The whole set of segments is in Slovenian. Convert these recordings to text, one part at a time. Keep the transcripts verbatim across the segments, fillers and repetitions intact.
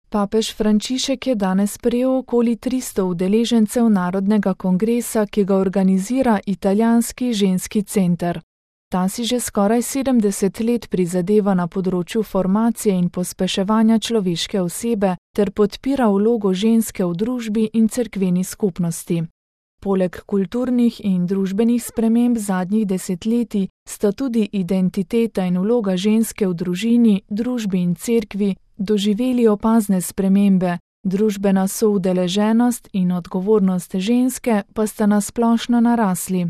Papež Frančišek je danes sprejel okoli tristo udeležencev Narodnega kongresa, ki ga organizira Italijanski ženski center. Ta si že skoraj sedemdeset let prizadeva na področju formacije in pospeševanja človeške osebe ter podpira vlogo ženske v družbi in cerkveni skupnosti. Poleg kulturnih in družbenih sprememb zadnjih desetletij sta tudi identiteta in vloga ženske v družini, družbi in cerkvi doživeli opazne spremembe, družbena soudeleženost in odgovornost ženske pa sta nasplošno narasli.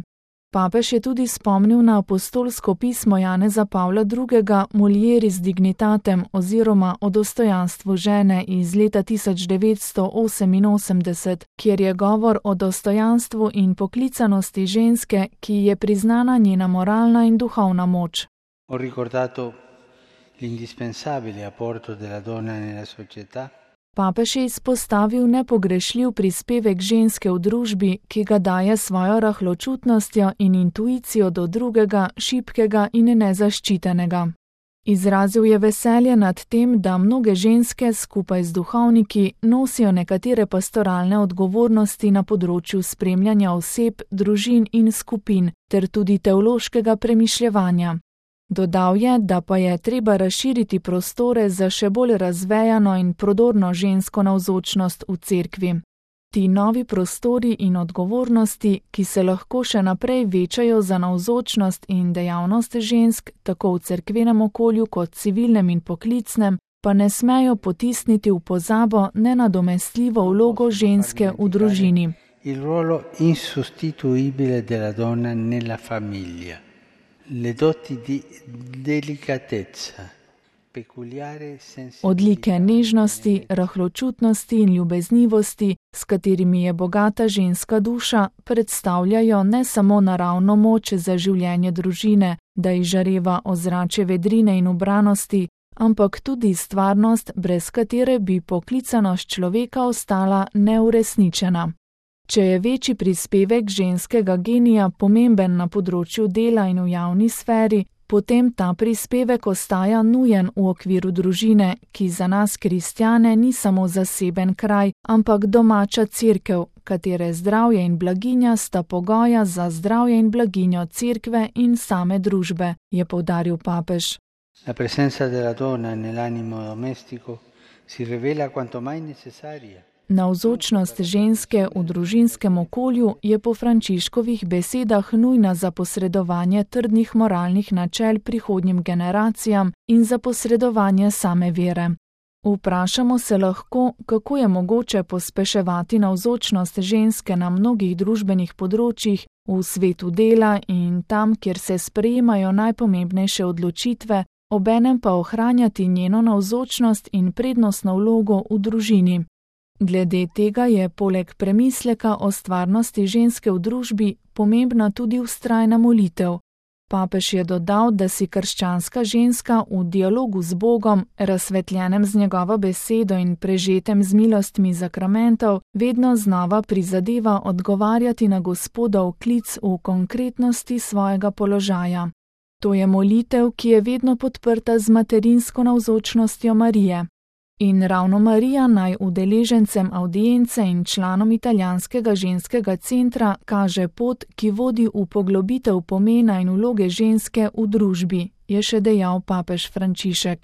Papež je tudi spomnil na apostolsko pismo Janeza Pavla drugega Mulieris dignitatem oziroma o dostojanstvu žene iz leta tisoč devetsto oseminosemdeset, kjer je govor o dostojanstvu in poklicanosti ženske, ki je priznana njena moralna in duhovna moč. Ho ricordato l'indispensabile apporto della donna nella società. Papež je izpostavil nepogrešljiv prispevek ženske v družbi, ki ga daje svojo rahločutnostjo in intuicijo do drugega, šibkega in nezaščitenega. Izrazil je veselje nad tem, da mnoge ženske skupaj z duhovniki nosijo nekatere pastoralne odgovornosti na področju spremljanja oseb, družin in skupin ter tudi teološkega premišljevanja. Dodal je, da pa je treba razširiti prostore za še bolj razvejano in prodorno žensko navzočnost v cerkvi. Ti novi prostori in odgovornosti, ki se lahko še naprej večajo za navzočnost in dejavnost žensk, tako v cerkvenem okolju kot civilnem in poklicnem, pa ne smejo potisniti v pozabo nenadomestljivo vlogo ženske v družini. Il ruolo insostituibile della donna nella famiglia. Le doti di delicatezza, peculiare sensibilità. Odlike nežnosti, rahločutnosti in ljubeznivosti, s katerimi je bogata ženska duša, predstavljajo ne samo naravno moč za življenje družine, da izžareva ozračje vedrine in ubranosti, ampak tudi stvarnost, brez katere bi poklicanost človeka ostala neuresničena. Če je večji prispevek ženskega genija pomemben na področju dela in v javni sferi, potem ta prispevek ostaja nujen v okviru družine, ki za nas kristjane ni samo zaseben kraj, ampak domača cerkev, katere zdravje in blaginja sta pogoja za zdravje in blaginjo cerkve in same družbe, je poudaril papež. La presenza della donna nell'animo domestico si rivela quanto mai necessaria. Navzočnost ženske v družinskem okolju je po Frančiškovih besedah nujna za posredovanje trdnih moralnih načel prihodnjim generacijam in za posredovanje same vere. Vprašamo se lahko, kako je mogoče pospeševati navzočnost ženske na mnogih družbenih področjih, v svetu dela in tam, kjer se sprejemajo najpomembnejše odločitve, obenem pa ohranjati njeno navzočnost in prednostno vlogo v družini. Glede tega je poleg premisleka o stvarnosti ženske v družbi pomembna tudi vztrajna molitev. Papež je dodal, da si krščanska ženska v dialogu z Bogom, razsvetljenem z njegovo besedo in prežetem z milostmi zakramentov, vedno znova prizadeva odgovarjati na Gospodov klic v konkretnosti svojega položaja. To je molitev, ki je vedno podprta z materinsko navzočnostjo Marije. In ravno Marija naj udeležencem avdience in članom Italijanskega ženskega centra kaže pot, ki vodi v poglobitev pomena in vloge ženske v družbi, je še dejal papež Frančišek.